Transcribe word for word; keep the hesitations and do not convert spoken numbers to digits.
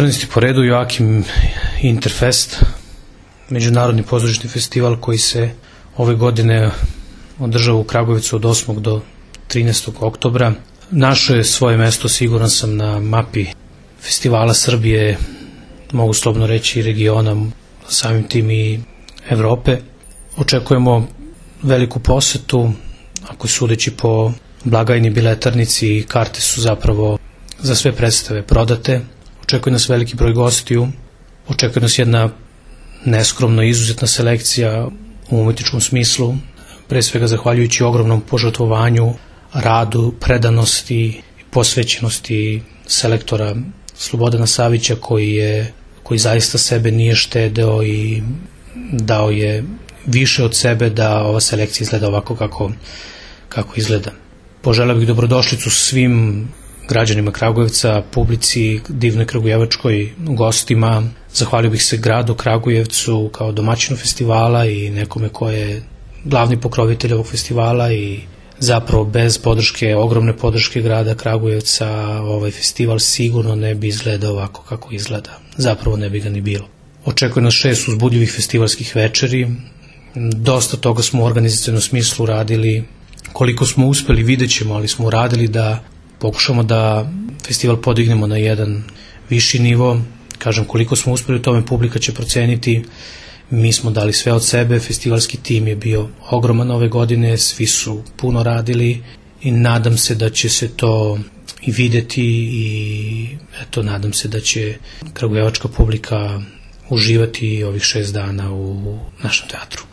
četrnaesti po redu Joakim Interfest, međunarodni pozorišni festival koji se ove godine održava u Kragujevcu od osmog do trinaestog oktobra. Našo je svoje mesto, siguran sam, na mapi festivala Srbije, mogu slobodno reći i regiona, samim tim i Evrope. Očekujemo veliku posetu, ako sudeći po blagajni biletarnici, karte su zapravo za sve predstave prodate. Očekuje nas veliki broj gostiju, očekuje nas jedna neskromno izuzetna selekcija u umetničkom smislu, pre svega zahvaljujući ogromnom požrtvovanju, radu, predanosti i posvećenosti selektora Slobodana Savića, koji je koji zaista sebe nije štedeo i dao je više od sebe da ova selekcija izgleda ovako kako, kako izgleda. Poželeo bih dobrodošlicu svim građanima Kragujevca, publici divnoj kragujevačkoj, gostima. Zahvalio bih se gradu Kragujevcu kao domaćinu festivala i nekome ko je glavni pokrovitelj ovog festivala, i zapravo bez podrške, ogromne podrške grada Kragujevca, ovaj festival sigurno ne bi izgledao ovako kako izgleda. Zapravo ne bi ga ni bilo. Očekuje nas šest uzbudljivih festivalskih večeri. Dosta toga smo u organizacionom smislu radili. Koliko smo uspeli vidjet ćemo, ali smo uradili da pokušamo da festival podignemo na jedan viši nivo. Kažem, koliko smo uspeli u tome, publika će proceniti. Mi smo dali sve od sebe, festivalski tim je bio ogroman ove godine, svi su puno radili i nadam se da će se to i videti, i eto, nadam se da će kragujevačka publika uživati ovih šest dana u našem teatru.